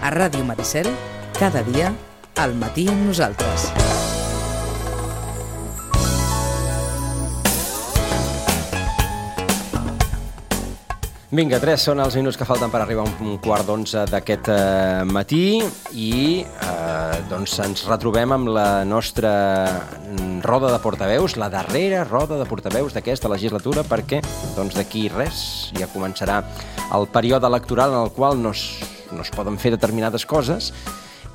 A Ràdio Maricel, cada dia, al matí amb nosaltres. Vinga, 3 són els minuts que falten per arribar a un quart d'11 d'aquest matí i doncs ens retrobem amb la nostra roda de portaveus, la darrera roda de portaveus d'aquesta legislatura, perquè doncs d'aquí res ja començarà el període electoral en el qual no es poden fer determinades coses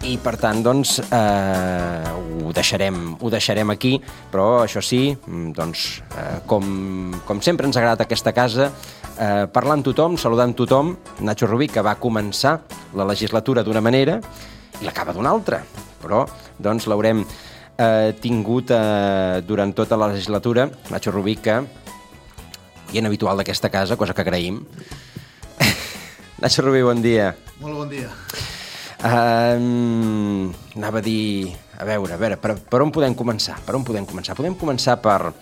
i per tant doncs ho deixarem aquí, però això sí, doncs com sempre ens ha agradat aquesta casa, parlant amb tothom, saludant tothom. Nacho Rubí, que va començar la legislatura d'una manera i l'acaba d'una altra, però doncs l'haurem tingut durant tota la legislatura. Nacho Rubí, que hi és habitual d'aquesta casa, cosa que agraïm. Nacho Rubí, bon dia. Molt bon dia. Anava a dir... A veure, per on podem començar? Podem començar per...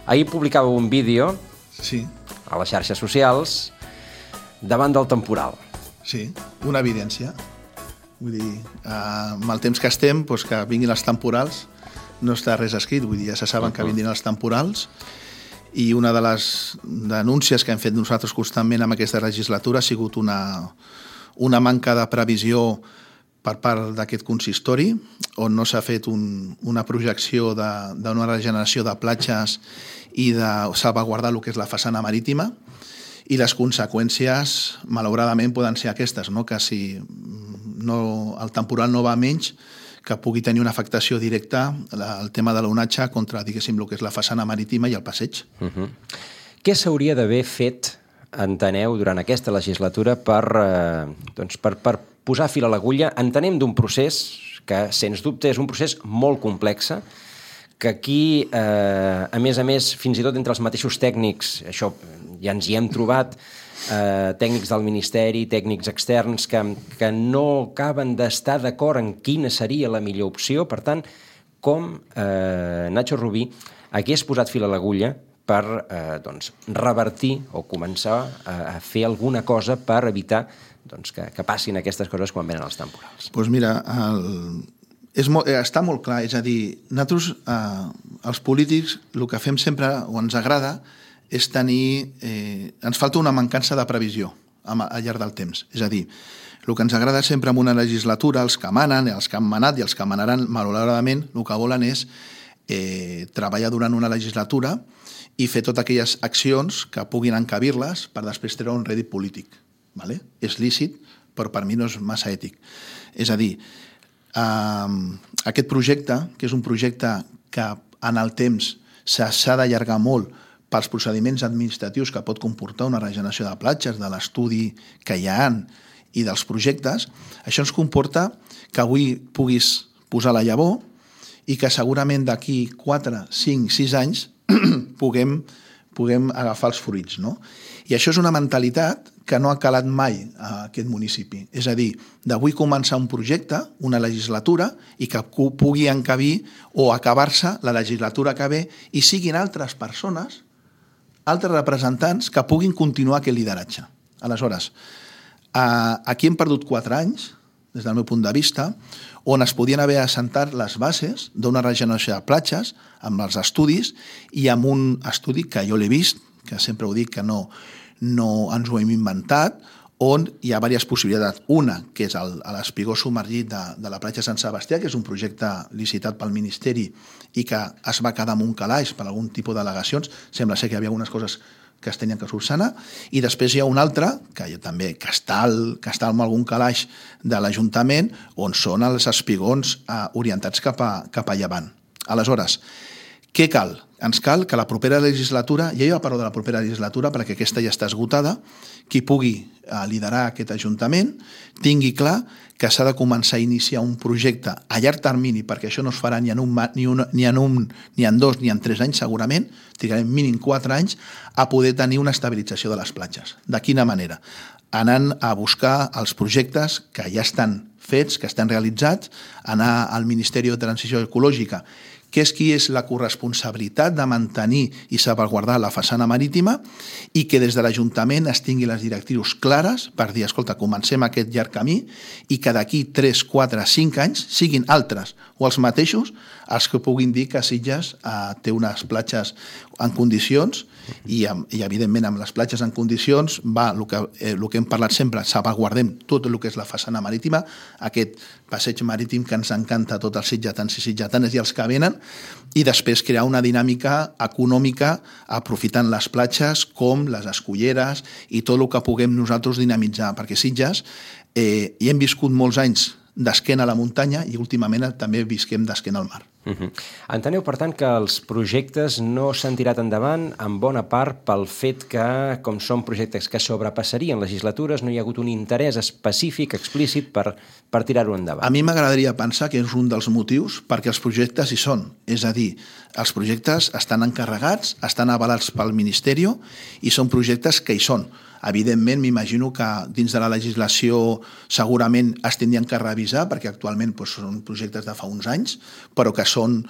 Ahir publicava un vídeo... Sí. A les xarxes socials, davant del temporal. Sí, una evidència. Vull dir, amb el temps que estem, doncs que vinguin els temporals, no està res escrit, vull dir, ja se saben que vindran els temporals, i una de les denúncies que hem fet nosaltres constantment amb aquesta legislatura ha sigut una manca de previsió per part d'aquest consistori, on no s'ha fet una projecció d'una regeneració de platges i de salvaguardar el que és la façana marítima, i les conseqüències, malauradament, poden ser aquestes, no? Que si el temporal no va menys, que pugui tenir una afectació directa al tema de l'onatge contra, diguéssim, el que és la façana marítima i el passeig. Què s'hauria d'haver fet, enteneu, durant aquesta legislatura per posar fil a l'agulla? Entenem d'un procés que, sens dubte, és un procés molt complex, que aquí, a més, fins i tot entre els mateixos tècnics, això ja ens hi hem trobat, tècnics del Ministeri, tècnics externs, que no acaben d'estar d'acord en quina seria la millor opció. Per tant, com Nacho Rubí hagués posat fil a l'agulla per revertir o començar a fer alguna cosa per evitar que passin aquestes coses quan venen els temporals? Doncs mira, està molt clar, és a dir, nosaltres, els polítics, el que fem sempre, o ens agrada, és tenir... ens falta una mancança de previsió al llarg del temps. És a dir, el que ens agrada sempre en una legislatura, els que manen, els que han manat i els que manaran, malauradament, el que volen és treballar durant una legislatura i fer totes aquelles accions que puguin encabir-les per després treure un rèdit polític. És lícit, però per mi no és massa ètic. És a dir, aquest projecte, que és un projecte que en el temps s'ha d'allargar molt pels procediments administratius que pot comportar una regeneració de platges, de l'estudi que hi ha i dels projectes, això ens comporta que avui puguis posar la llavor i que segurament d'aquí 4, 5, 6 anys puguem agafar els fruits, no? I això és una mentalitat que no ha calat mai a aquest municipi. És a dir, d'avui començar un projecte, una legislatura, i que pugui encabir o acabar-se la legislatura que ve i siguin altres persones, altres representants que puguin continuar aquest lideratge. Aleshores, aquí hem perdut 4 anys, des del meu punt de vista, on es podien haver assentat les bases d'una regeneració de platges amb els estudis i amb un estudi que jo l'he vist, que sempre ho dic que no ens ho hem inventat, on hi ha diverses possibilitats. Una, que és l'espigó submergit de la platja Sant Sebastià, que és un projecte licitat pel Ministeri i que es va quedar amb un calaix per algun tipus d'al·legacions. Sembla ser que hi havia algunes coses que es tenien que solucionar, i després hi ha un altre, que està amb algun calaix de l'Ajuntament, on són els espigons orientats cap a llevant. Aleshores, què cal? Ens cal que la propera legislatura, ja jo parlo de la propera legislatura perquè aquesta ja està esgotada, qui pugui liderar aquest Ajuntament tingui clar que s'ha de començar a iniciar un projecte a llarg termini, perquè això no es farà ni en 2, ni en 3 anys segurament, trigarem mínim 4 anys a poder tenir una estabilització de les platges. De quina manera? Anant a buscar els projectes que ja estan fets, que estan realitzats, anar al Ministeri de Transició Ecològica, que és qui és la corresponsabilitat de mantenir i salvaguardar la façana marítima i que des de l'Ajuntament es tingui les directrius clares per dir, escolta, comencem aquest llarg camí i que d'aquí 3, 4, 5 anys siguin altres o els mateixos els que puguin dir que Sitges té unes platges en condicions i evidentment amb les platges en condicions va el que hem parlat sempre, salvaguardem tot el que és la façana marítima, aquest passeig marítim que ens encanta a tots els sitgetans i sitgetanes i els que venen, i després crear una dinàmica econòmica aprofitant les platges com les esculleres i tot el que puguem nosaltres dinamitzar, perquè Sitges hi hem viscut molts anys d'esquena a la muntanya i últimament també visquem d'esquena al mar. Enteneu, per tant, que els projectes no s'han tirat endavant en bona part pel fet que, com són projectes que sobrepassarien legislatures, no hi ha hagut un interès específic, explícit, per tirar-ho endavant. A mi m'agradaria pensar que és un dels motius perquè els projectes hi són. És a dir, els projectes estan encarregats, estan avalats pel Ministeri i són projectes que hi són. Evidentment, m'imagino que dins de la legislació segurament es tindrien que revisar, perquè actualment són projectes de fa uns anys, però que són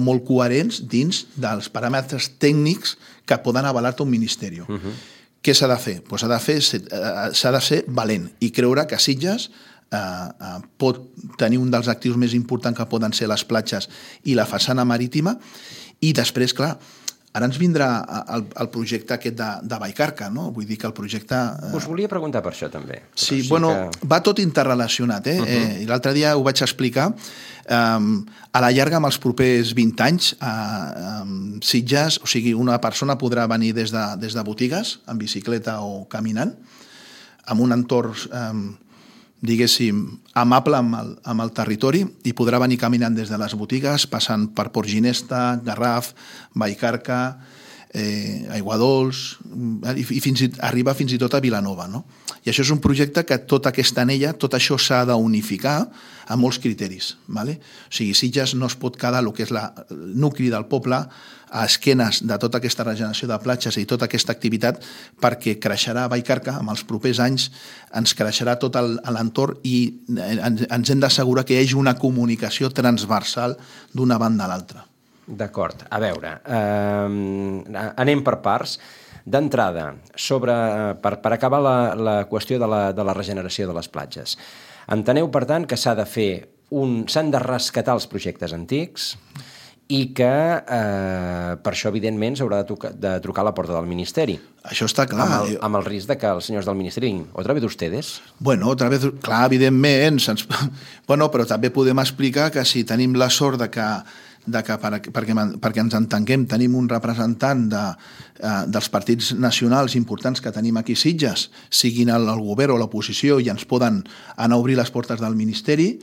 molt coherents dins dels paràmetres tècnics que poden avalar-te un ministeri. Què s'ha de fer? S'ha de ser valent i creure que Sitges pot tenir un dels actius més importants que poden ser les platges i la façana marítima, i després, clar, ara ens vindrà el projecte aquest de Vallcarca, no? Vull dir que el projecte... Us volia preguntar per això, també. Sí, bueno, va tot interrelacionat, I l'altre dia ho vaig explicar. A la llarga, amb els propers 20 anys, Sitges, o sigui, una persona podrà venir des de botigues, en bicicleta o caminant, amb un entorn diguéssim, amable amb el territori i podrà venir caminant des de les botigues, passant per Port Ginesta, Garraf, Vallcarca, Aiguadols, i arriba fins i tot a Vilanova. No? I això és un projecte que tota aquesta anella, tot això s'ha d'unificar amb molts criteris. Vale? O sigui, Sitges no es pot quedar el que és el nucli del poble a esquenes de tota aquesta regeneració de platges i tota aquesta activitat, perquè creixerà Vallcarca, en els propers anys ens creixerà tot l'entorn i ens hem d'assegurar que hi hagi una comunicació transversal d'una banda a l'altra. D'acord. A veure, anem per parts. D'entrada, per acabar la qüestió de la regeneració de les platges. Enteneu, per tant, que s'han de rescatar els projectes antics i que per això, evidentment, s'haurà de trucar a la porta del Ministeri. Això està clar. Amb el risc de que els senyors del Ministeri diguin, otra vez ustedes? Bueno, otra vez, clar, evidentment. Bueno, però també podem explicar que si tenim la sort perquè ens entenguem, tenim un representant dels partits nacionals importants que tenim aquí a Sitges, siguin el govern o l'oposició, i ens poden anar a obrir les portes del Ministeri,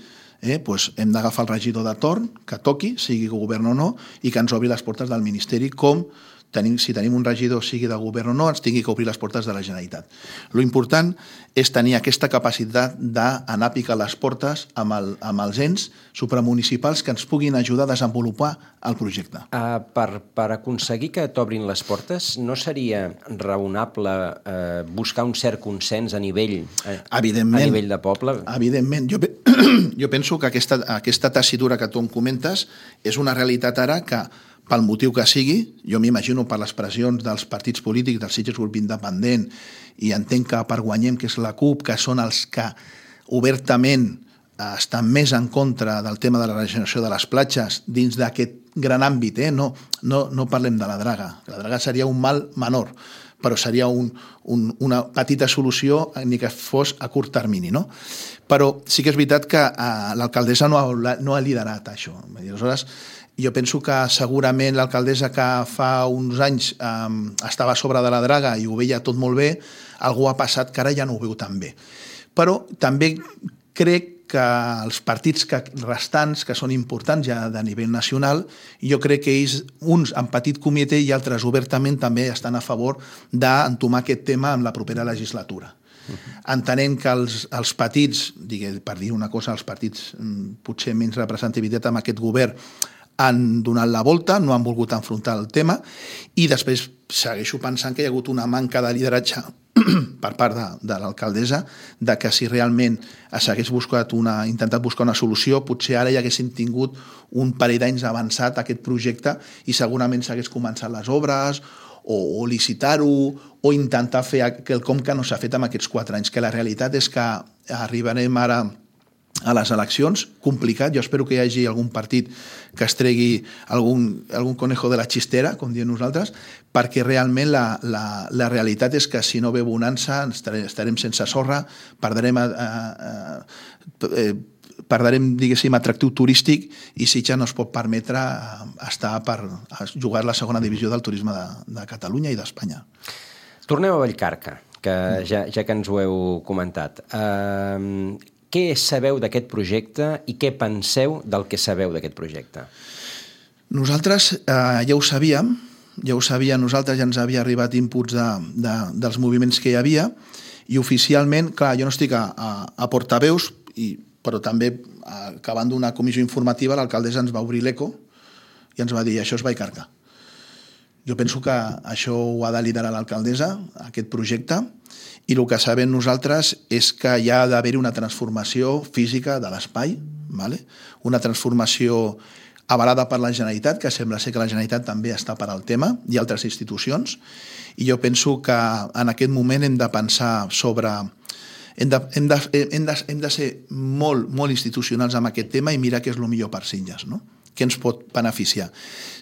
doncs hem d'agafar el regidor de torn, que toqui, sigui govern o no, i que ens obri les portes del Ministeri, com si tenim un regidor, sigui de govern o no, ens tingui que obrir les portes de la Generalitat. Lo important és tenir aquesta capacitat d'anar a picar les portes amb els ens supramunicipals que ens puguin ajudar a desenvolupar el projecte. Per aconseguir que t'obrin les portes, no seria raonable buscar un cert consens a nivell de poble? Evidentment. Jo penso que aquesta tessitura que tu em comentes és una realitat ara que, pel motiu que sigui, jo m'imagino per les pressions dels partits polítics, del Sitges Grup Independent, i entenc que per Guanyem, que és la CUP, que són els que obertament estan més en contra del tema de la regeneració de les platges dins d'aquest gran àmbit. No parlem de la draga. La draga seria un mal menor, però seria una petita solució ni que fos a curt termini. No? Però sí que és veritat que l'alcaldessa no ha liderat això. Aleshores, jo penso que segurament l'alcaldessa que fa uns anys estava a sobre de la draga i ho veia tot molt bé, algú ha passat que ara ja no ho veu tan bé. Però també crec que els partits restants, que són importants ja de nivell nacional, jo crec que ells, uns en petit comitè i altres obertament, també estan a favor d'entomar aquest tema en la propera legislatura. Entenent que els partits, per dir una cosa, els partits potser menys representativitat amb aquest govern, han donat la volta, no han volgut enfrontar el tema, i després segueixo pensant que hi ha hagut una manca de lideratge per part de l'alcaldessa de que si realment s'hagués intentat buscar una solució, potser ara ja haguessin tingut un parell d'anys avançat aquest projecte i segurament s'hagués començat les obres o licitar-ho o intentar fer quelcom que no s'ha fet en aquests 4 anys, que la realitat és que arribarem ara a les eleccions, complicat. Jo espero que hi hagi algun partit que es tregui algun conejo de la xistera, com diem nosaltres, perquè realment la realitat és que si no ve bonança estarem sense sorra, perdrem, diguéssim, atractiu turístic i Sitges no es pot permetre estar per jugar a la segona divisió del turisme de Catalunya i d'Espanya. Tornem a Vallcarca, que ja que ens ho heu comentat. Què sabeu d'aquest projecte i què penseu del que sabeu d'aquest projecte? Nosaltres ja ho sabíem, nosaltres ja ens havia arribat inputs dels moviments que hi havia i oficialment, clar, jo no estic a portaveus, però també acabant d'una comissió informativa l'alcaldessa ens va obrir l'eco i ens va dir això és Vallcarca. Jo penso que això ho ha de liderar l'alcaldessa, aquest projecte, i el que sabem nosaltres és que hi ha d'haver una transformació física de l'espai, una transformació avalada per la Generalitat, que sembla ser que la Generalitat també està per al tema, i altres institucions, i jo penso que en aquest moment hem de pensar sobre... Hem de ser molt institucionals amb aquest tema i mirar què és el millor per Sitges, no? Què ens pot beneficiar.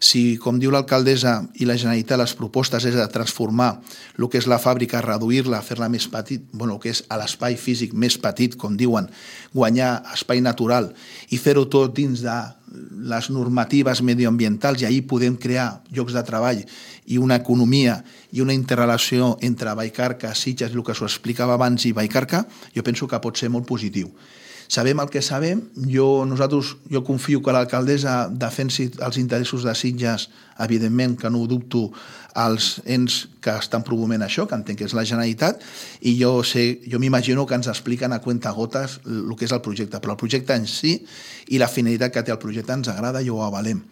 Si, com diu l'alcaldessa i la Generalitat, les propostes és de transformar el que és la fàbrica, reduir-la, fer-la més petit, el que és l'espai físic més petit, com diuen, guanyar espai natural i fer-ho tot dins de les normatives medioambientals i ahir podem crear llocs de treball i una economia i una interrelació entre Vallcarca, Sitges, el que s'ho explicava abans, i Vallcarca, jo penso que pot ser molt positiu. Sabem el que sabem, jo confio que l'alcaldessa defensi els interessos de Sitges, evidentment que no ho dubto, als ens que estan promovent això, que entenc que és la Generalitat, i jo m'imagino que ens expliquen a cuentagotes el que és el projecte, però el projecte en si i la finalitat que té el projecte ens agrada i ho avalem.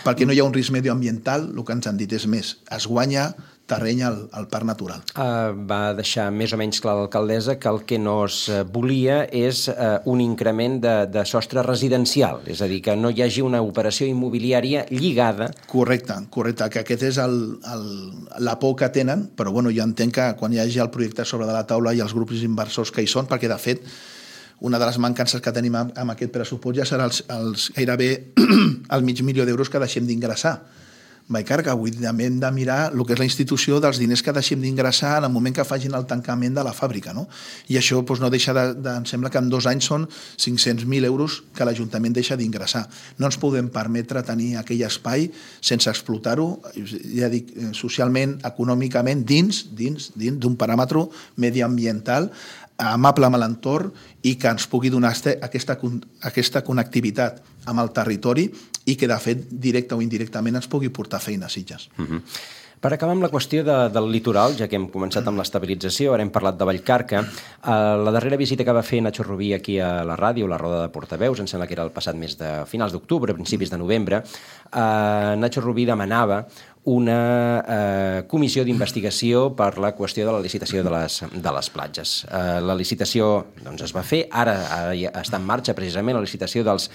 Perquè no hi ha un risc medioambiental, el que ens han dit és més, es guanya terreny al parc natural. Va deixar més o menys clar l'alcaldessa que el que no es volia és un increment de sostre residencial, és a dir, que no hi hagi una operació immobiliària lligada. Correcte, que aquest és la por que tenen, però jo entenc que quan hi hagi el projecte sobre de la taula i els grups inversors que hi són, perquè de fet una de les mancances que tenim amb aquest pressupost ja serà gairebé el $500.000 que deixem d'ingressar. Vallcarca, avui també hem de mirar el que és la institució dels diners que deixem d'ingressar en el moment que facin el tancament de la fàbrica, no? I això no deixa em sembla que en 2 anys són 500.000 euros que l'Ajuntament deixa d'ingressar. No ens podem permetre tenir aquell espai sense explotar-ho, ja dic, socialment, econòmicament, dins d'un paràmetre mediambiental amable amb l'entorn i que ens pugui donar aquesta connectivitat amb el territori i que, de fet, directe o indirectament ens pugui portar feina a Sitges. Per acabar amb la qüestió del litoral, ja que hem començat amb l'estabilització, ara hem parlat de Vallcarca, la darrera visita que va fer Nacho Rubí aquí a la ràdio, la roda de portaveus, em sembla que era el passat mes de finals d'octubre, principis de novembre, Nacho Rubí demanava una comissió d'investigació per la qüestió de la licitació de les platges. La licitació es va fer, ara està en marxa precisament la licitació dels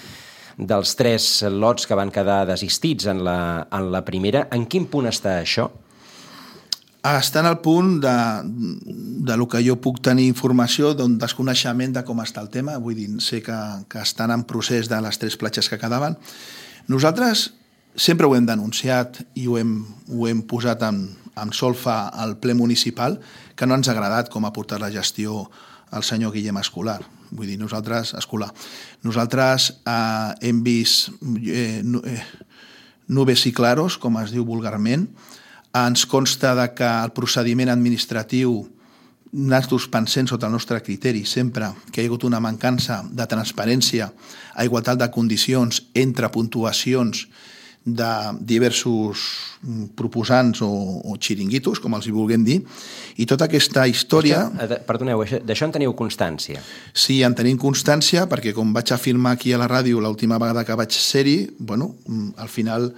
3 lots que van quedar desistits en la primera. En quin punt està això? Està en el punt de lo que jo puc tenir informació, d'un desconeixement de com està el tema. Vull dir, sé que estan en procés de les 3 platges que quedaven. Nosaltres sempre ho hem denunciat i ho hem posat en solfa al ple municipal, que no ens ha agradat com ha portat la gestió el senyor Guillem Escolar. Vull dir, nosaltres hem vist nubes i claros, com es diu vulgarment. Ens consta que el procediment administratiu, nosaltres pensem sota el nostre criteri sempre que hi ha hagut una mancança de transparència a igualtat de condicions entre puntuacions de diversos proposants o xiringuitos, com els hi vulguem dir, i tota aquesta història... Perdoneu, d'això en teniu constància? Sí, en tenim constància, perquè com vaig afirmar aquí a la ràdio l'última vegada que vaig ser-hi, al final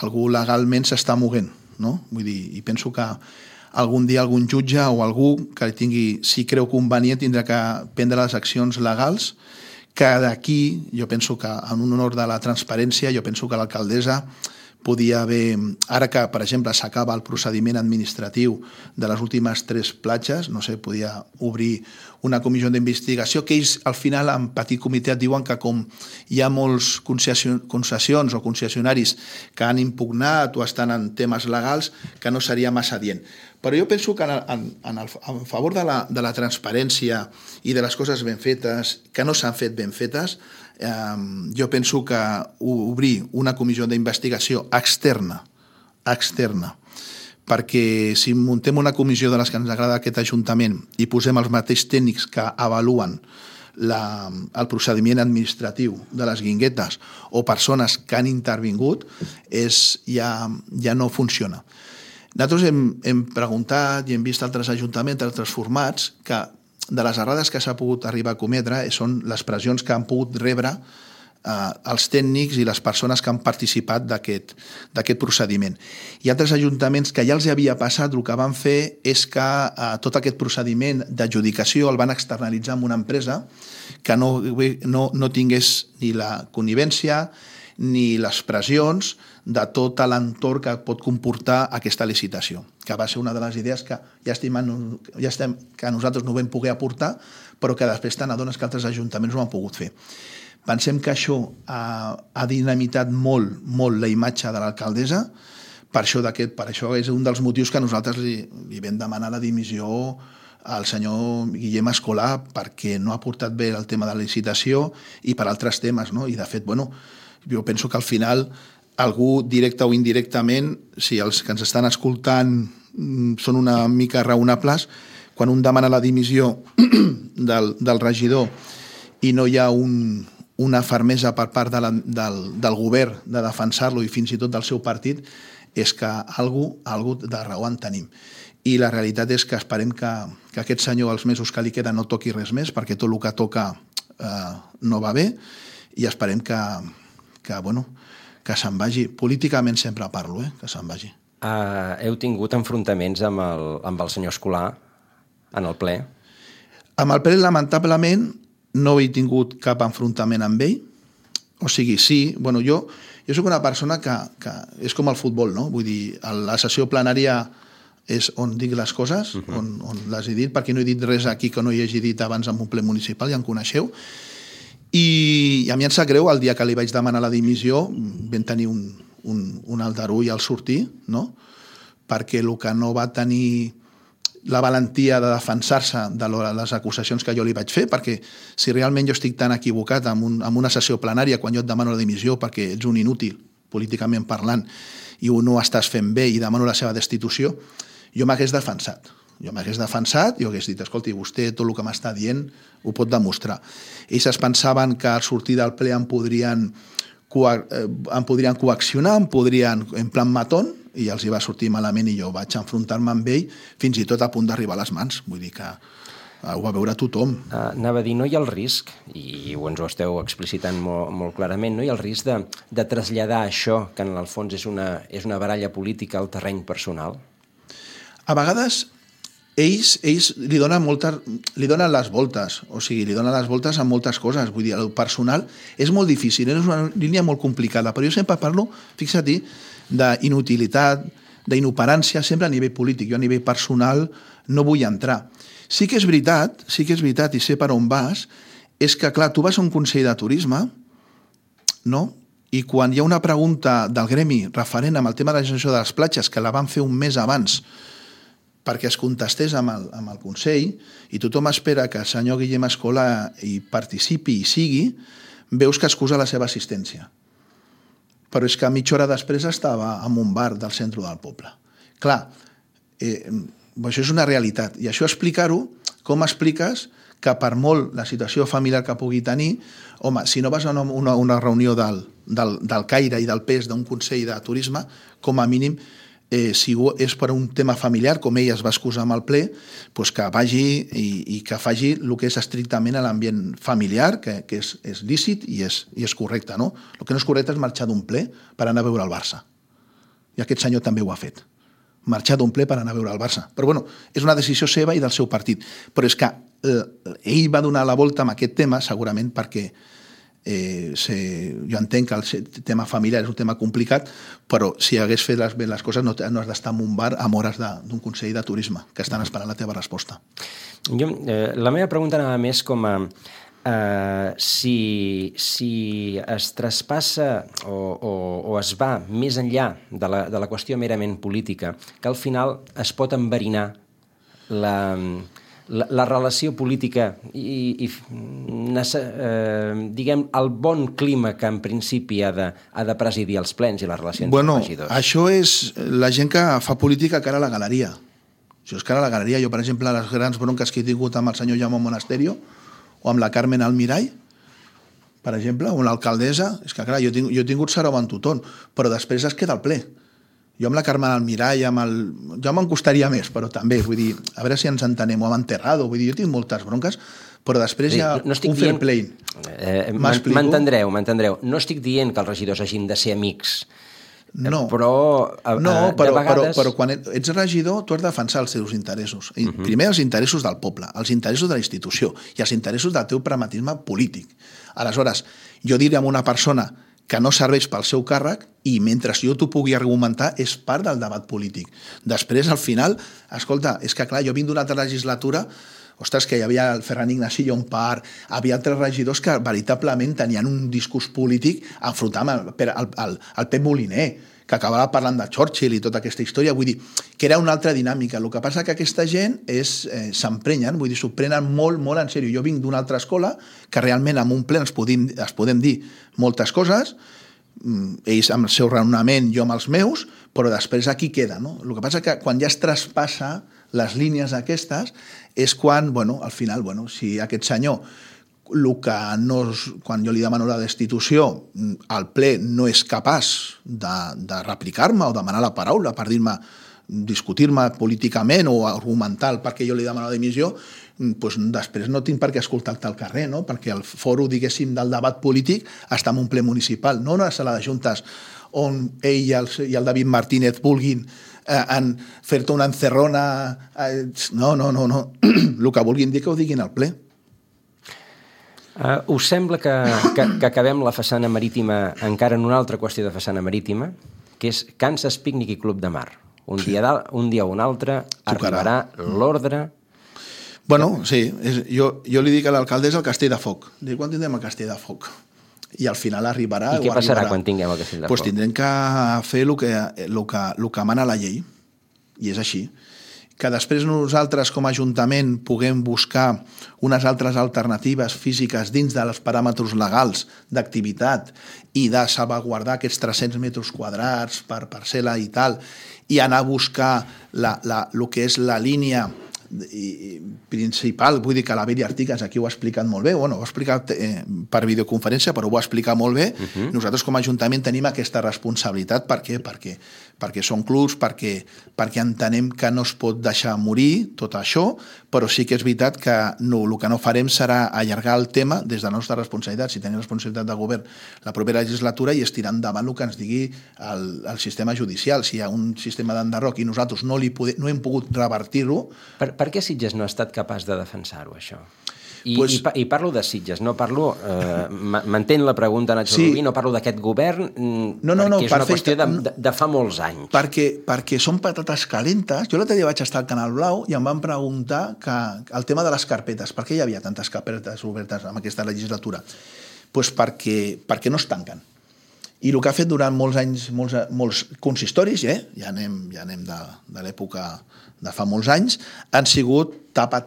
algú legalment s'està movent, no? Vull dir, i penso que algun dia algun jutge o algú que tingui, si creu convenient, tindrà que prendre les accions legals, que d'aquí, jo penso que en un honor de la transparència, jo penso que l'alcaldessa podia haver, ara que, per exemple, s'acaba el procediment administratiu de les últimes 3 platges, no sé, podia obrir una comissió d'investigació, que ells, al final, en petit comitè, et diuen que com hi ha molts concessions o concessionaris que han impugnat o estan en temes legals, que no seria massa adient. Però jo penso que en favor de la transparència i de les coses ben fetes, que no s'han fet ben fetes, jo penso que obrir una comissió d'investigació externa, perquè si muntem una comissió de les que ens agrada aquest Ajuntament i posem els mateixos tècnics que avaluen el procediment administratiu de les guinguetes o persones que han intervingut, ja no funciona. Nosaltres hem preguntat i hem vist altres ajuntaments, altres formats, que de les errades que s'ha pogut arribar a cometre són les pressions que han pogut rebre els tècnics i les persones que han participat d'aquest procediment. Hi ha altres ajuntaments que ja els havia passat, el que van fer és que tot aquest procediment d'adjudicació el van externalitzar amb una empresa que no tingués ni la connivència ni les pressions de tot l'entorn que pot comportar aquesta licitació, que va ser una de les idees que que nosaltres no vam poder aportar, però que després te n'adones que altres ajuntaments ho han pogut fer. Pensem que això ha dinamitat molt la imatge de l'alcaldessa, per això és un dels motius que nosaltres li vam demanar la dimissió al senyor Guillem Escolà, perquè no ha portat bé el tema de la licitació i per altres temes, no? I de fet, jo penso que al final algú, directe o indirectament, si els que ens estan escoltant són una mica raonables, quan un demana la dimissió del regidor i no hi ha una fermesa per part del govern de defensar-lo i fins i tot del seu partit, és que algú de raó en tenim. I la realitat és que esperem que aquest senyor, els mesos que li queden, no toqui res més, perquè tot el que toca no va bé, i esperem que se'n vagi. Políticament sempre parlo, que se'n vagi. Heu tingut enfrontaments amb el senyor Escolà en el ple? Amb el ple, lamentablement, no he tingut cap enfrontament amb ell. O sigui, sí, jo soc una persona que és com el futbol, no? Vull dir, la sessió plenària és on dic les coses, on les he dit, perquè no he dit res aquí que no hi hagi dit abans en un ple municipal, ja em coneixeu. I a mi em sap greu, el dia que li vaig demanar la dimissió vam tenir un aldarull al sortir, no? Perquè el que no va tenir la valentia de defensar-se de les acusacions que jo li vaig fer, perquè si realment jo estic tan equivocat en una sessió plenària quan jo et demano la dimissió perquè ets un inútil, políticament parlant, i no ho estàs fent bé i demano la seva destitució, jo m'hagués defensat. Jo hagués dit, escolti, vostè tot el que m'està dient ho pot demostrar. Ells es pensaven que al sortir del ple em podrien coaccionar, en plan matón, i els hi va sortir malament i jo vaig enfrontar-me amb ell fins i tot a punt d'arribar a les mans. Vull dir que ho va veure tothom. Anava a dir, no hi ha el risc, i ens ho esteu explicitant molt clarament, no hi ha el risc de traslladar això, que en el fons és una baralla política, al terreny personal? A vegades ells li donen les voltes, o sigui, li donen les voltes a moltes coses. Vull dir, el personal és molt difícil, és una línia molt complicada, però jo sempre parlo, fixa't, d'inutilitat, d'inoperància, sempre a nivell polític. Jo a nivell personal no vull entrar. Sí que és veritat, i sé per on vas, és que, clar, tu vas a un consell de turisme, no? I quan hi ha una pregunta del gremi referent amb el tema de la gestió de les platges, que la van fer un mes abans, perquè es contestés amb el Consell, i tothom espera que el senyor Guillem Escolà hi participi i sigui, veus que excusa la seva assistència. Però és que mitja hora després estava en un bar del centre del poble. Clar, això és una realitat, i això explicar-ho, com expliques que per molt la situació familiar que pugui tenir, home, si no vas a una reunió del Caire i del PES d'un Consell de Turisme, com a mínim, si és per un tema familiar, com ell es va excusar amb el ple, doncs que vagi i que faci el que és estrictament a l'ambient familiar, que és lícit i és correcte, no? El que no és correcte és marxar d'un ple per anar a veure el Barça. I aquest senyor també ho ha fet. marxar d'un ple per anar a veure el Barça. Però bueno, és una decisió seva i del seu partit. Però és que ell va donar la volta amb aquest tema segurament perquè jo entenc que el tema familiar és un tema complicat, però si hagués fet bé les coses no has d'estar en un bar amb hores d'un Consell de Turisme que estan esperant la teva resposta. La meva pregunta anava més com a si es traspassa o es va més enllà de la qüestió merament política, que al final es pot enverinar la relació política i diguem, el bon clima que en principi ha de presidir els plens i les relacions amb regidors. Això és la gent que fa política cara a la galeria. Això és cara a la galeria. Jo, per exemple, les grans bronques que he tingut amb el senyor Jaume Monasterio o amb la Carmen Almirall, per exemple, o amb l'alcaldessa, és que, clar, jo he tingut sarau amb tothom, però després es queda al ple. Jo amb la Carmen Almirall, jo me'n costaria més, però també, vull dir, a veure si ens entenem, o amb Enterrado, vull dir, jo tinc moltes bronques, però després hi ha un fair play. M'entendreu. No estic dient que els regidors hagin de ser amics, però quan ets regidor tu has de defensar els teus interessos. Primer els interessos del poble, els interessos de la institució i els interessos del teu pragmatisme polític. Aleshores, jo diré a una persona que no serveix pel seu càrrec i mentre jo t'ho pugui argumentar és part del debat polític. Després, al final, escolta, és que clar, jo vinc d'una altra legislatura, ostres, que hi havia el Ferran Ignasi Llompart, havia altres regidors que veritablement tenien un discurs polític enfrontant el Pep Moliner, que acabava parlant de Churchill i tota aquesta història, vull dir, que era una altra dinàmica. El que passa que aquesta gent s'emprenyen, vull dir, s'ho prenen molt, molt en sèrio. Jo vinc d'una altra escola que realment en un ple es podem dir moltes coses, ells amb el seu raonament, jo amb els meus, però després aquí queda, no? El que passa que quan ja es traspassa les línies aquestes és quan, al final, si aquest senyor quan jo li demano la destitució, el ple no és capaç de replicar-me o demanar la paraula per dir-me, discutir-me políticament o argumentar el perquè jo li demano la dimissió, doncs després no tinc per què escoltar-te al carrer, no? Perquè el foro, diguéssim, del debat polític està en un ple municipal, no una sala de juntes on ell i el David Martínez vulguin fer-te una encerrona. No. El que vulguin dir que ho diguin al ple. Us sembla que acabem la façana marítima encara en una altra qüestió de façana marítima, que és Kansas Picnic i Club de Mar. Un dia o un altre arribarà l'ordre... Sí, jo li dic a l'alcaldessa el Castell de Foc. Dic, quan tindrem el Castell de Foc? I al final arribarà... I què passarà quan tinguem el Castell de Foc? Doncs tindrem que fer el que mana la llei, i és així. Que després nosaltres com a Ajuntament puguem buscar unes altres alternatives físiques dins dels paràmetres legals d'activitat i de salvaguardar aquests 300 metres quadrats per parcel·la i tal, i anar a buscar el que és la línia principal, vull dir que la Beri Artigas aquí ho ha explicat molt bé, ho ha explicat per videoconferència, però ho ha explicat molt bé. Nosaltres com a Ajuntament tenim aquesta responsabilitat. Per què? Perquè són clubs, perquè entenem que no es pot deixar morir tot això, però sí que és veritat que el que no farem serà allargar el tema des de la nostra responsabilitat, si tenim responsabilitat de govern la propera legislatura, i estirar endavant el que ens digui el sistema judicial. Si hi ha un sistema d'enderroc i nosaltres no hem pogut revertir-ho. Per què Sitges no ha estat capaç de defensar-ho, això? I parlo de Sitges, no parlo... M'entén la pregunta, Nacho Rubí, no parlo d'aquest govern, perquè és una qüestió de fa molts anys. Perquè són patates calentes. Jo l'altre dia vaig estar al Canal Blau i em van preguntar el tema de les carpetes. Per què hi havia tantes carpetes obertes en aquesta legislatura? Doncs perquè no es tanquen. I el que ha fet durant molts anys, molts consistoris, ja anem de l'època de fa molts anys, han sigut tapa,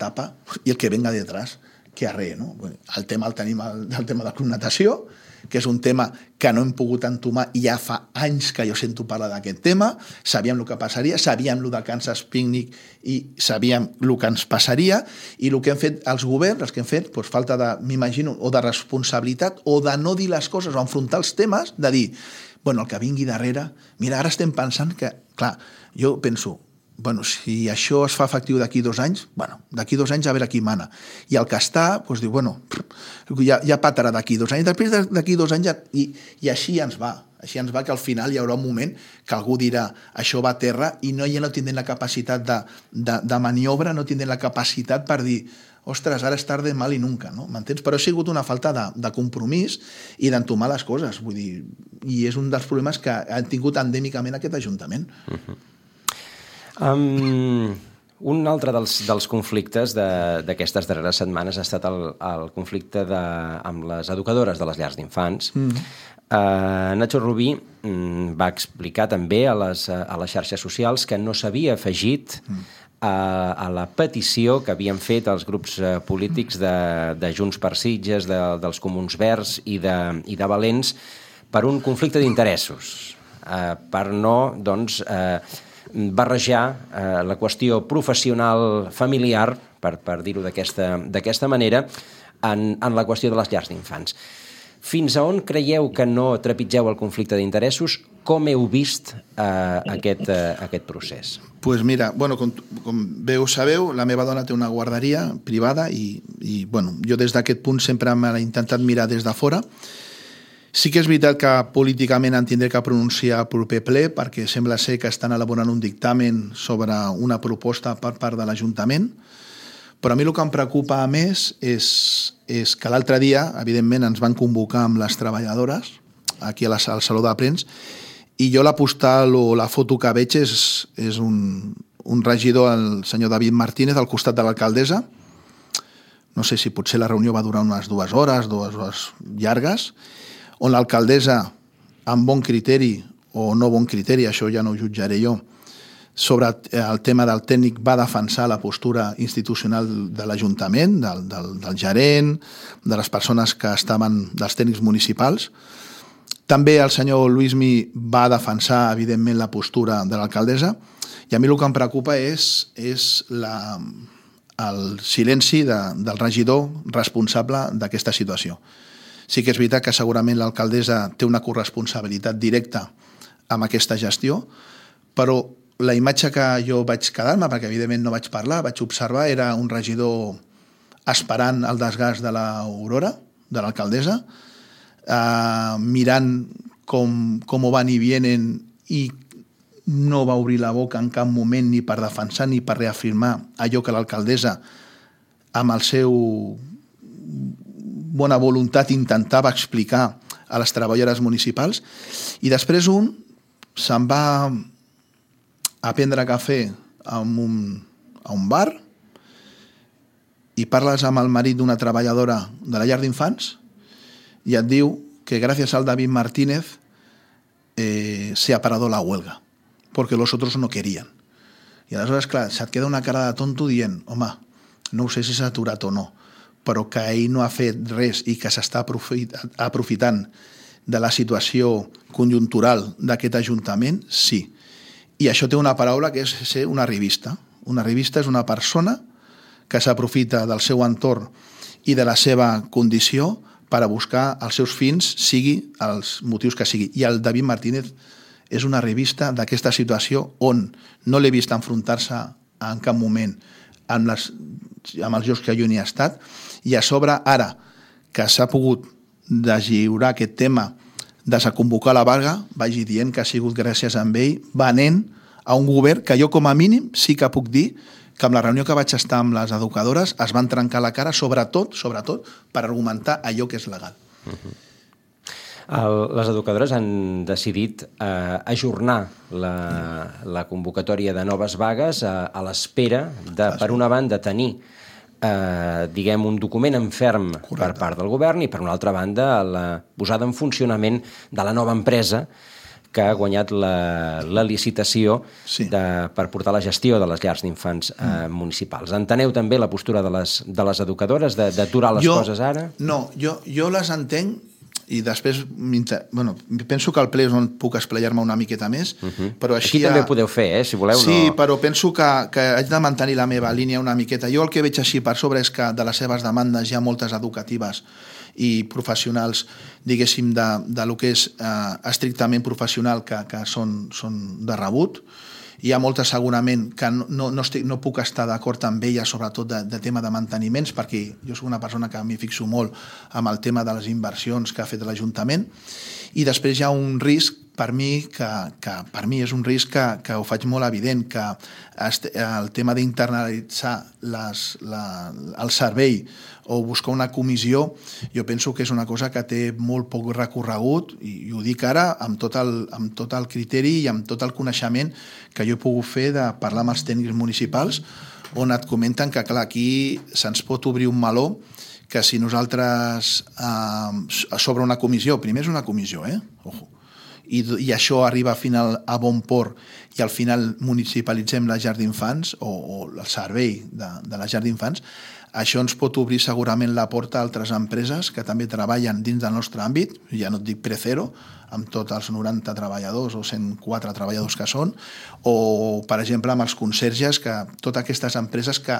i el que venga detrás, que arre, no? El tema el tenim, el tema de Club Natació, que és un tema que no hem pogut entomar i ja fa anys que jo sento parlar d'aquest tema. Sabíem el que passaria, sabíem el de Kansas Picnic i sabíem el que ens passaria, i el que han fet els governs, els que han fet, falta de, m'imagino, o de responsabilitat o de no dir les coses o enfrontar els temes, de dir, el que vingui darrere... Mira, ara estem pensant que, clar, jo penso, bueno, si això es fa efectiu d'aquí 2 anys, bueno, d'aquí 2 anys a veure qui mana. I el que està, doncs diu, bueno, ja patarà d'aquí 2 anys. Després d'aquí 2 anys, i així ens va. Així ens va, que al final hi haurà un moment que algú dirà això va a terra i ja no tindrem la capacitat de maniobra, no tindrem la capacitat per dir ostres, ara és tarde, mal i nunca, no? M'entens? Però ha sigut una falta de compromís i d'entomar les coses, vull dir, i és un dels problemes que han tingut endèmicament aquest Ajuntament. Un altre dels conflictes d'aquestes darreres setmanes ha estat el conflicte amb les educadores de les llars d'infants. Nacho Rubí va explicar també a les xarxes socials que no s'havia afegit a la petició que havien fet els grups polítics de Junts per Sitges, dels Comuns Verds i de Valents per un conflicte d'interessos, per no, doncs, barrejar la qüestió professional familiar, per dir-ho d'aquesta manera, en la qüestió de les llars d'infants. Fins a on creieu que no trepitgeu el conflicte d'interessos? Com heu vist aquest procés? Doncs mira, bueno, com bé ho sabeu, la meva dona té una guarderia privada i bueno, jo des d'aquest punt sempre m'he intentat mirar des de fora. Sí que és veritat que políticament en tindré que pronunciar el proper ple perquè sembla ser que estan elaborant un dictamen sobre una proposta per part de l'Ajuntament, però a mi el que em preocupa més és que l'altre dia, evidentment, ens van convocar amb les treballadores aquí al Saló de Plens i jo la postal o la foto que veig és un regidor, el senyor David Martínez, al costat de l'alcaldessa. No sé si potser la reunió va durar unes 2 hores, 2 hores llargues, on l'alcaldessa, amb bon criteri o no bon criteri, això ja no ho jutjaré jo, sobre el tema del tècnic va defensar la postura institucional de l'Ajuntament, del gerent, de les persones que estaven, dels tècnics municipals. També el senyor Luismi va defensar, evidentment, la postura de l'alcaldessa i a mi el que em preocupa és el silenci del regidor responsable d'aquesta situació. Sí que és veritat que segurament l'alcaldessa té una corresponsabilitat directa amb aquesta gestió, però la imatge que jo vaig quedar-me, perquè evidentment no vaig parlar, vaig observar, era un regidor esperant el desgast de l'Aurora, de l'alcaldessa, mirant com ho van i vienen i no va obrir la boca en cap moment ni per defensar ni per reafirmar allò que l'alcaldessa, amb el seu bona voluntat, intentava explicar a les treballadores municipals. I després se'n va a prendre cafè a un bar i parles amb el marit d'una treballadora de la llar d'infants i et diu que gràcies al David Martínez se ha parado la huelga porque los otros no querían. I aleshores, clar, se't queda una cara de tonto dient, home, no sé si s'ha aturat o no, però que ell no ha fet res i que s'està aprofitant de la situació conjuntural d'aquest Ajuntament, sí. I això té una paraula que és ser una arribista. Una arribista és una persona que s'aprofita del seu entorn i de la seva condició per a buscar els seus fins, sigui els motius que sigui. I el David Martínez és una arribista d'aquesta situació on no l'he vist enfrontar-se en cap moment amb els jocs que jo n'hi he estat, i a sobre, ara que s'ha pogut deslliurar aquest tema desaconvocar la vaga, vagi dient que ha sigut gràcies a ell, venent a un govern que jo com a mínim sí que puc dir que amb la reunió que vaig estar amb les educadores es van trencar la cara, sobretot per argumentar allò que és legal. Les educadores han decidit ajornar la convocatòria de noves vagues a l'espera de, per una banda, tenir diguem, un document en ferm per part del govern i, per una altra banda, la posada en funcionament de la nova empresa que ha guanyat la licitació per portar la gestió de les llars d'infants municipals. Enteneu també la postura de les educadores d'aturar les coses ara? No, jo les entenc i després, penso que al ple és on puc esplayar-me una miqueta més, però així... Aquí també ho podeu fer, si voleu. Sí, però penso que haig de mantenir la meva línia una miqueta. Jo el que veig així per sobre és que de les seves demandes hi ha moltes educatives i professionals, diguéssim, de lo que és estrictament professional que són de rebut, hi ha moltes segurament que no puc estar d'acord amb elles, sobretot de tema de manteniments, perquè jo soc una persona que m'hi fixo molt amb el tema de les inversions que ha fet l'Ajuntament, i després hi ha un risc per mi que per mi és un risc que ho faig molt evident, que el tema d'internalitzar el servei o buscar una comissió, jo penso que és una cosa que té molt poc recorregut, i ho dic ara amb tot el criteri i amb tot el coneixement que jo he pogut fer de parlar amb els tècnics municipals, on et comenten que, clar, aquí se'ns pot obrir un meló que si nosaltres sobre una comissió, primer és una comissió, ojo, i això arriba al final a bon port i al final municipalitzem la llar d'infants o el servei de la llar d'infants, això ens pot obrir segurament la porta a altres empreses que també treballen dins del nostre àmbit, ja no et dic Precero, amb tots els 90 treballadors o 104 treballadors que són, o, per exemple, amb els conserges, que totes aquestes empreses que,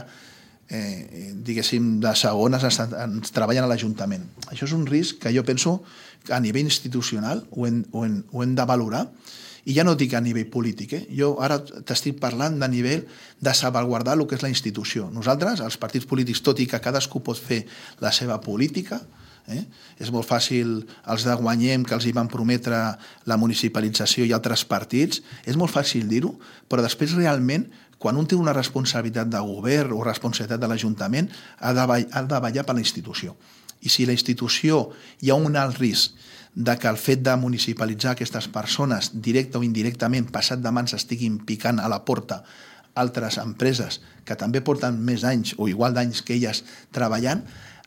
diguéssim, de segones ens treballen a l'Ajuntament. Això és un risc que jo penso que a nivell institucional ho hem de valorar, i ja no dic a nivell polític, jo ara t'estic parlant de nivell de salvaguardar el que és la institució. Nosaltres, els partits polítics, tot i que cadascú pot fer la seva política, és molt fàcil, els de Guanyem, que els hi van prometre la municipalització, i altres partits, és molt fàcil dir-ho, però després realment, quan un té una responsabilitat de govern o responsabilitat de l'Ajuntament, ha de vetllar per la institució. I si la institució hi ha un alt risc de que el fet de municipalitzar aquestes persones, directe o indirectament, passat de mans, estiguin picant a la porta altres empreses que també porten més anys o igual d'anys que elles treballant,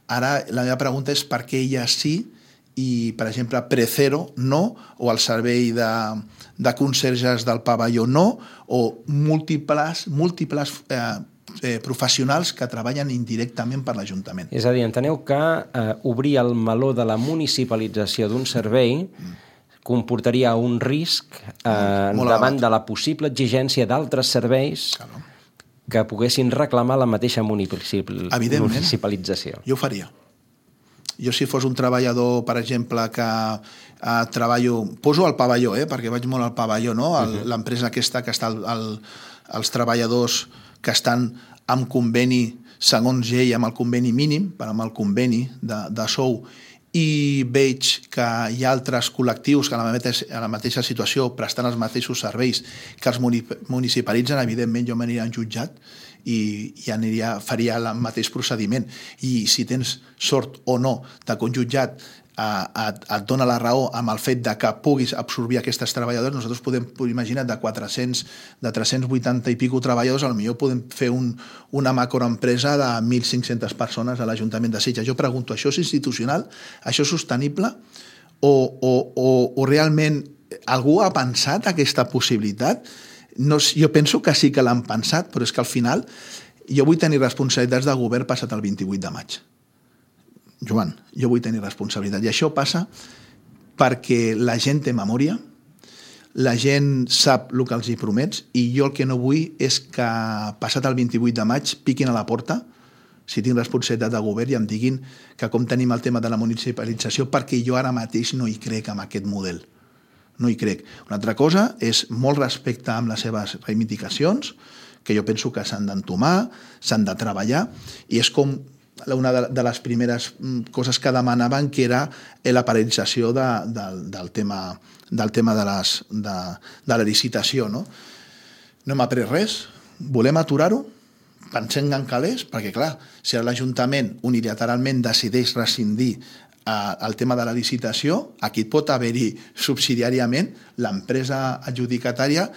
ara la meva pregunta és per què elles sí i, per exemple, Precero no, o el servei de conserges del pavelló no, o múltiples professionals que treballen indirectament per l'Ajuntament. És a dir, enteneu que obrir el meló de la municipalització d'un servei comportaria un risc davant de la possible exigència d'altres serveis que poguessin reclamar la mateixa municipalització. Jo ho faria. Jo, si fos un treballador, per exemple, que treballo... Poso el pavelló, perquè vaig molt al pavelló, no? L'empresa aquesta que està els treballadors que estan amb conveni, segons ell, amb el conveni mínim, amb el conveni de sou, i veig que hi ha altres col·lectius que a la mateixa situació prestant els mateixos serveis que els municipalitzen, evidentment jo m'aniria en jutjat i faria el mateix procediment. I si tens sort o no de que un jutjat et dona la raó amb el fet de que puguis absorbir aquestes treballadors, nosaltres podem imaginar de 380 i pico treballadors, potser podem fer una macroempresa de 1.500 persones a l'Ajuntament de Sitges. Jo pregunto, això és institucional? Això és sostenible? O realment algú ha pensat aquesta possibilitat? Jo penso que sí que l'han pensat, però és que al final jo vull tenir responsabilitats de govern passat el 28 de maig. Joan, jo vull tenir responsabilitat. I això passa perquè la gent té memòria, la gent sap el que els hi promets, i jo el que no vull és que passat el 28 de maig piquin a la porta, si tinc responsabilitat de govern, i em diguin que com tenim el tema de la municipalització, perquè jo ara mateix no hi crec en aquest model. No hi crec. Una altra cosa és molt respecte amb les seves reivindicacions, que jo penso que s'han d'entomar, s'han de treballar, i és com una de les primeres coses que demanaven, que era la paralització del tema de la licitació. No hem après res, volem aturar-ho, pensem en calés, perquè clar, si l'Ajuntament unilateralment decideix rescindir el tema de la licitació, aquí pot haver-hi subsidiàriament, l'empresa adjudicatària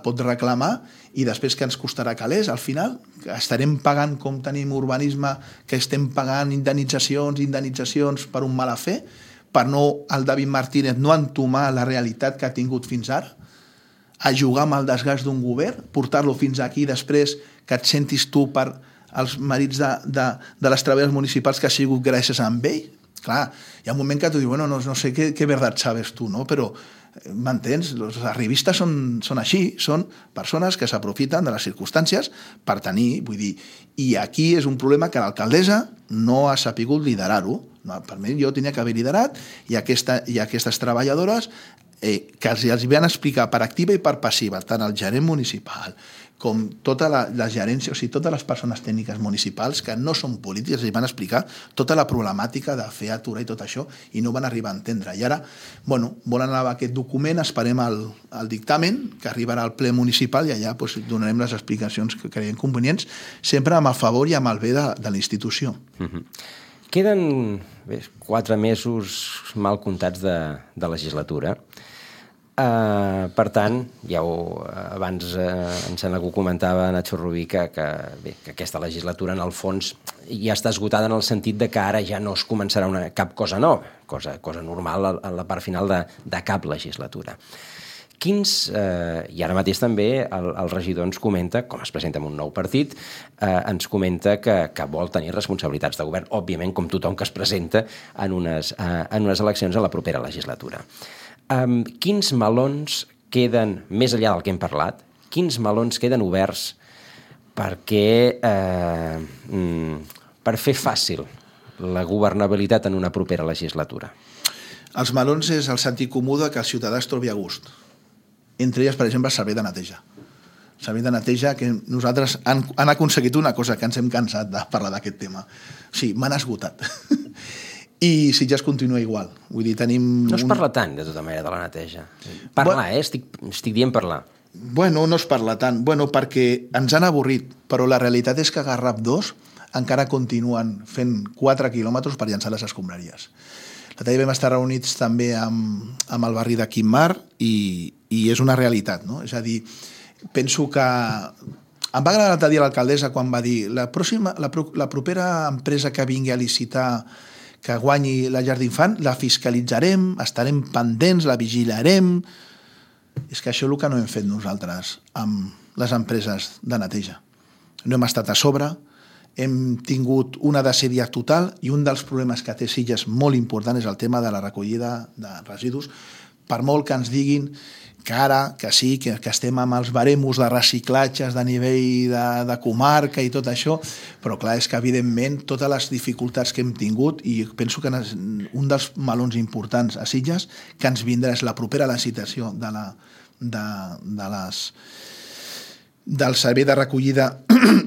pot reclamar, i després que ens costarà calés, al final estarem pagant, com tenim urbanisme, que estem pagant indemnitzacions per un mala fe, per no el David Martínez no entomar la realitat que ha tingut fins ara, a jugar amb el desgast d'un govern, portar-lo fins aquí, després que et sentis tu per els marits de les treballadores municipals que ha sigut gràcies a ell. Clar, hi ha un moment que tu dius, bueno, no sé què verdad sabes tu, no? Però m'entens? Els arribistes són així, són persones que s'aprofiten de les circumstàncies per tenir, vull dir, i aquí és un problema que l'alcaldessa no ha sapigut liderar-ho. Per mi, jo tenia que haver liderat, i aquestes treballadores que els van explicar per activa i per passiva, tant el gerent municipal com tota la gerència, o sigui, totes les persones tècniques municipals que no són polítiques, els van explicar tota la problemàtica de fer aturar i tot això, i no van arribar a entendre. I ara, volen anar a aquest document, esperem el dictamen, que arribarà al ple municipal, i allà donarem les explicacions que creiem convenients, sempre amb el favor i amb el bé de la institució. Queden 4 mesos mal comptats de legislatura. Per tant, abans em sembla que ho comentava Nacho Rubí, que aquesta legislatura en el fons ja està esgotada en el sentit de que ara ja no es començarà cap cosa nova, cosa normal a la part final de cap legislatura. I ara mateix també el regidor ens comenta, com es presenta en un nou partit, ens comenta que vol tenir responsabilitats de govern, òbviament com tothom que es presenta en unes eleccions a la propera legislatura. Quins melons queden, més enllà del que hem parlat, quins melons queden oberts per fer fàcil la governabilitat en una propera legislatura? Els melons és el sentit comú que el ciutadà es trobi a gust. Entre elles, per exemple, el servei de neteja. El servei de neteja, que nosaltres han aconseguit una cosa que ens hem cansat de parlar d'aquest tema. O sigui, m'han esgotat. I Sitges continua igual. Vull dir, tenim... No es parla tant, de tota manera, de la neteja. Parlar, estic dient parlar. No es parla tant. Perquè ens han avorrit, però la realitat és que a Garraf 2 encara continuen fent 4 quilòmetres per llançar les escombraries. L'altre dia vam estar reunits també amb el barri de Quimar i és una realitat, no? És a dir, penso que... Em va agradar l'altre dia l'alcaldessa quan va dir la propera empresa que vingui a licitar que guanyi la llar d'infant, la fiscalitzarem, estarem pendents, la vigilarem... És que això és el que no hem fet nosaltres amb les empreses de neteja. No hem estat a sobre, hem tingut una desídia total i un dels problemes que té Sitges molt important és el tema de la recollida de residus. Per molt que ens diguin que ara, que sí, que estem amb els baremos de reciclatges de nivell de comarca i tot això, però clar, és que evidentment totes les dificultats que hem tingut, i penso que un dels melons importants a Sitges que ens vindrà és la propera licitació del servei de recollida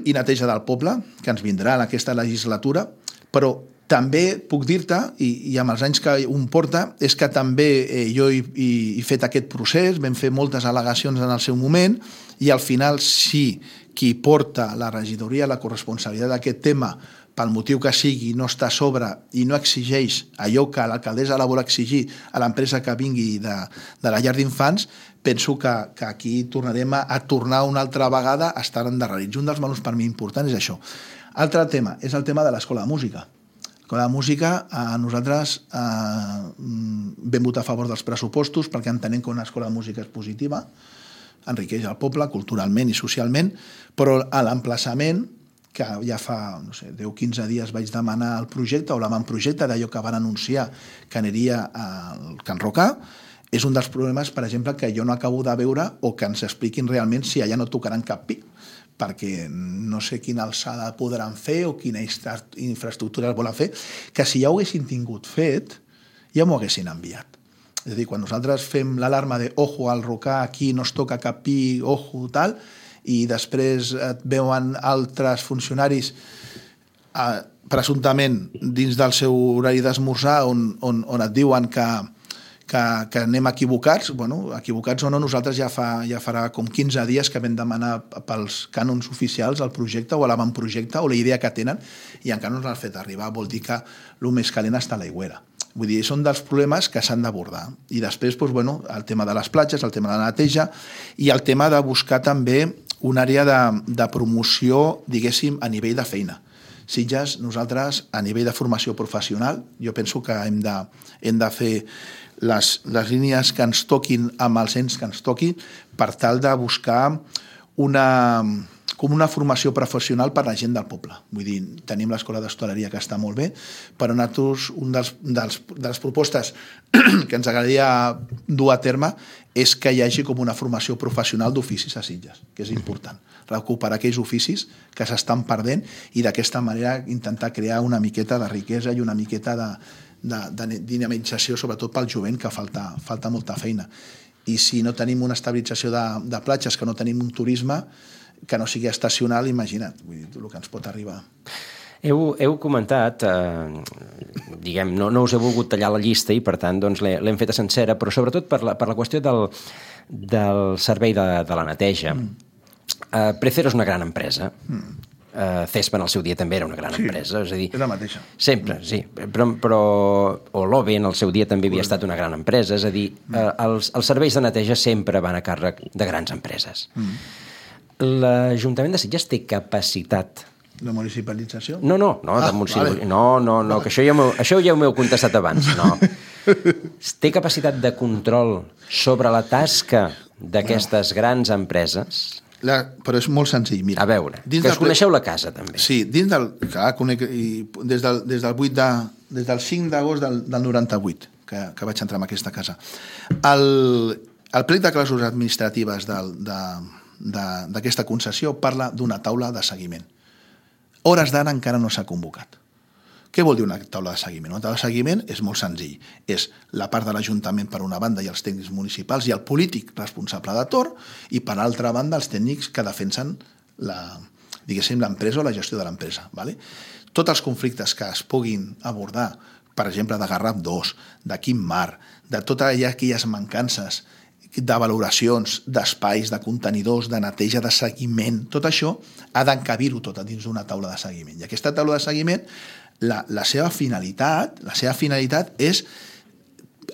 i neteja del poble, que ens vindrà en aquesta legislatura, però també puc dir-te, i amb els anys que un porta, és que també jo he fet aquest procés, vam fer moltes al·legacions en el seu moment, i al final, si qui porta la regidoria, la corresponsabilitat d'aquest tema, pel motiu que sigui, no està a sobre i no exigeix allò que l'alcaldessa la vol exigir a l'empresa que vingui de la llar d'infants, penso que aquí tornarem a tornar una altra vegada a estar endarrerits. Un dels melons per mi importants és això. Altre tema, és el tema de l'escola de música. L'escola de música, nosaltres vam votar a favor dels pressupostos perquè entenem que una escola de música és positiva, enriqueix el poble culturalment i socialment, però a l'emplaçament, que ja fa 10-15 dies vaig demanar el projecte o l'avantprojecte d'allò que van anunciar que aniria al Can Rocà, és un dels problemes, per exemple, que jo no acabo de veure o que ens expliquin realment si allà no tocaran cap pi, perquè no sé quina alçada podran fer o quina infraestructura volen fer, que si ja ho haguessin tingut fet, ja m'ho haguessin enviat. És a dir, quan nosaltres fem l'alarma de ojo al Rocà, aquí no es toca cap pi, ojo, tal, i després et veuen altres funcionaris presumptament dins del seu horari d'esmorzar on et diuen que anem equivocats, equivocats o no, nosaltres ja farà com 15 dies que vam demanar pels cànons oficials el projecte o l'avantprojecte o la idea que tenen i encara no ens l'han fet arribar, vol dir que el més calent està a l'aigüera. Vull dir, són dels problemes que s'han d'abordar. I després, el tema de les platges, el tema de la neteja i el tema de buscar també una àrea de promoció, diguéssim, a nivell de feina. Sitges, nosaltres, a nivell de formació professional, jo penso que hem de fer les línies que ens toquin amb els ens que ens toquin per tal de buscar com una formació professional per a la gent del poble. Vull dir, tenim l'escola d'hostaleria que està molt bé, però nosaltres, una de les propostes que ens agradaria dur a terme és que hi hagi com una formació professional d'oficis a Sitges, que és important. Recuperar aquells oficis que s'estan perdent i d'aquesta manera intentar crear una miqueta de riquesa i una miqueta de dinamització, sobretot pel jovent, que falta molta feina. I si no tenim una estabilització de platges, que no tenim un turisme que no sigui estacional, imagina't, vull dir, el que ens pot arribar. Heu comentat, diguem, no us he volgut tallar la llista i per tant doncs, l'hem feta sencera, però sobretot per la qüestió del servei de la neteja. Precero és una gran empresa. Cespa en el seu dia també era una gran empresa. És a dir, és la mateixa. Sempre, sí. Però l'OVE en el seu dia també havia estat una gran empresa. És a dir, els serveis de neteja sempre van a càrrec de grans empreses. L'Ajuntament de Sitges té capacitat... De municipalització? No, de municipalització. No, que això ja ho m'heu contestat abans. No. Té capacitat de control sobre la tasca d'aquestes grans empreses? Però és molt senzill, mira. A veure, que us coneixeu la casa, també. Sí, dins del... Clar, des del 5 d'agost del 98, que vaig entrar en aquesta casa. El plec de clàusules administratives d'aquesta concessió parla d'una taula de seguiment. Hores d'ara encara no s'ha convocat. Què vol dir una taula de seguiment? Una taula de seguiment és molt senzill. És la part de l'Ajuntament per una banda i els tècnics municipals i el polític responsable de torn i per altra banda els tècnics que defensen l'empresa o la gestió de l'empresa. Tots els conflictes que es puguin abordar, per exemple, de Garraf 2, de Quim Mar, de totes aquelles mancances de valoracions, d'espais, de contenidors, de neteja, de seguiment, tot això ha d'encabir-ho tot dins d'una taula de seguiment. I aquesta taula de seguiment, la seva finalitat és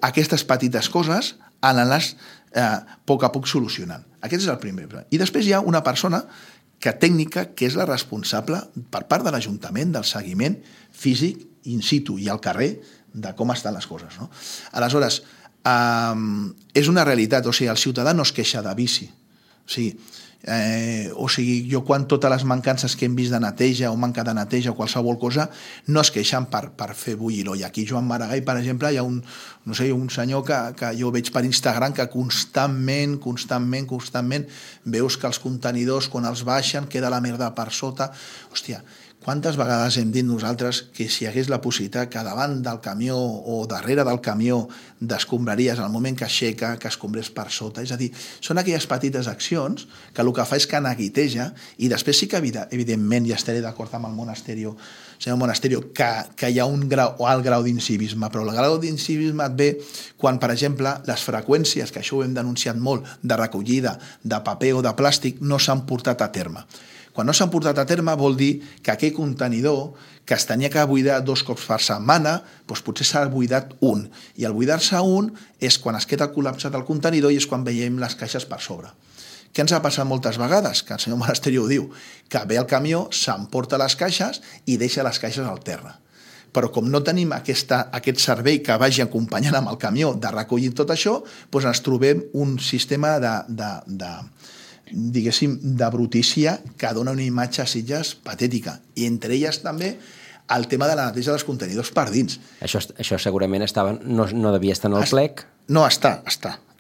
aquestes petites coses anar-les a poc solucionant. Aquest és el primer. I després hi ha una persona tècnica que és la responsable per part de l'Ajuntament del seguiment físic in situ i al carrer de com estan les coses. Aleshores, és una realitat, o sigui, el ciutadà no es queixa de bici. O sigui, jo quan totes les mancances que hem vist de neteja o manca de neteja o qualsevol cosa, no es queixen per fer bullir-ho. I aquí a Joan Maragall, per exemple, hi ha un senyor que jo veig per Instagram que constantment veus que els contenidors, quan els baixen, queda la merda per sota. Hòstia, quantes vegades hem dit nosaltres que si hi hagués la possibilitat que davant del camió o darrere del camió d'escombraries, al moment que aixeca, que escombrés per sota? És a dir, són aquelles petites accions que el que fa és que neguiteja i després sí que, evidentment, ja estaré d'acord amb el Monasterio, que hi ha un alt grau d'incivisme, però el grau d'incivisme et ve quan, per exemple, les freqüències, que això ho hem denunciat molt, de recollida de paper o de plàstic, no s'han portat a terme. Quan no s'han portat a terme vol dir que aquell contenidor que es tenia que buidar 2 cops per setmana, doncs potser s'ha buidat un. I el buidar-se un és quan es queda col·lapsat el contenidor i és quan veiem les caixes per sobre. Què ens ha passat moltes vegades? Que el senyor Monasterio ho diu, que ve el camió, s'emporta les caixes i deixa les caixes al terra. Però com no tenim aquest servei que vagi acompanyant amb el camió de recollir tot això, doncs ens trobem un sistema de brutícia que dona una imatge a Sitges patètica. I entre elles també el tema de la neteja dels contenidors per dins. Això segurament no devia estar en el plec? No, està.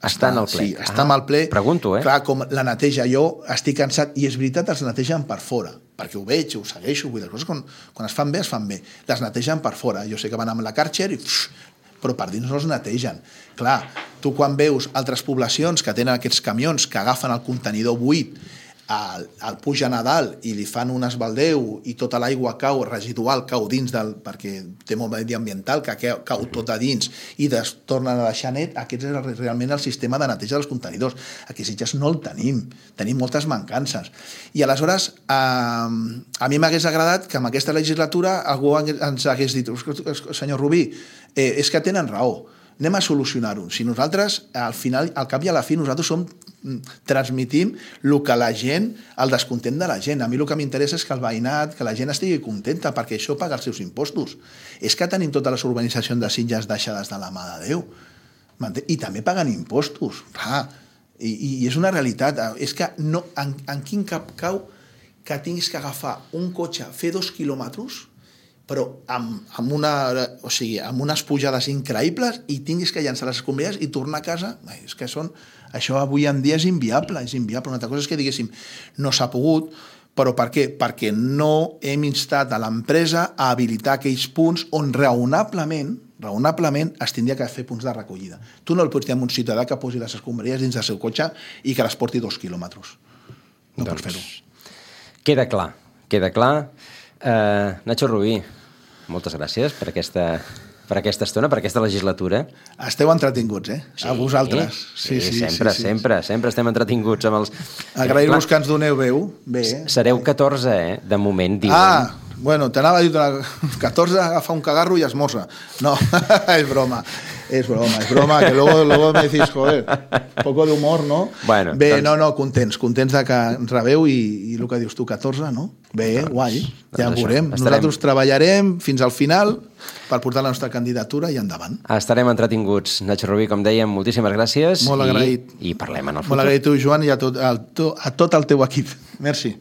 Està en el plec. Sí, està en el plec. Pregunto, Clar, com la neteja, jo estic cansat, i és veritat, els netegen per fora, perquè ho veig, ho segueixo, vull dir, les coses quan es fan bé, es fan bé. Les netegen per fora. Jo sé que van amb la Karcher i però per dins no els netegen. Clar, tu quan veus altres poblacions que tenen aquests camions que agafen el contenidor buit, el pugen a dalt i li fan un esbaldeu i tota l'aigua residual cau dins perquè té molt mediambiental, que cau tot a dins i tornen a deixar net, aquest és realment el sistema de neteja dels contenidors. Aquí a Sitges no el tenim moltes mancances. I aleshores, a mi m'hagués agradat que en aquesta legislatura algú ens hagués dit, senyor Rubí, és que tenen raó, anem a solucionar-ho. Si nosaltres, al cap i a la fi, nosaltres transmitim el que la gent, el descontent de la gent. A mi el que m'interessa és que el veïnat, que la gent estigui contenta, perquè això paga els seus impostos. És que tenim totes les urbanitzacions de Sitges deixades de la mà de Déu. I també paguen impostos. I és una realitat. És que en quin cap cau que tinguis que agafar un cotxe, fer 2 quilòmetres, però amb unes pujades increïbles i tinguis que llançar les escombraries i tornar a casa. És que això avui en dia és inviable. Una altra cosa és que diguéssim no s'ha pogut, però per què? Perquè no hem instat a l'empresa a habilitar aquells punts on raonablement, raonablement es tindria que fer punts de recollida. Tu no el pots dir a un ciutadà que posi les escombraries dins del seu cotxe i que les porti 2 quilòmetres. No pots fer-ho. Queda clar, queda clar. Nacho Rubí, moltes gràcies per aquesta estona, per aquesta legislatura. Esteu entretinguts, Sí, a vosaltres. Sí, sempre estem entretinguts amb els... Agrair-vos que ens doneu veu. Bé, Sereu 14, de moment, diuen. Bueno, t'anava a dir 14 agafa un cagarro i esmorza. No, és broma, que luego me decís, joder, poco de humor, no? Bueno, bé, doncs... contents de que ens rebeu i el que dius tu, 14, no? Bé, doncs, guai, ja ho veurem. Nosaltres treballarem fins al final per portar la nostra candidatura i endavant. Estarem entretinguts. Nacho Rubí, com dèiem, moltíssimes gràcies. Molt agraït. I parlem en el futur. Molt agraït tu, Joan, i a tot el teu equip. Merci.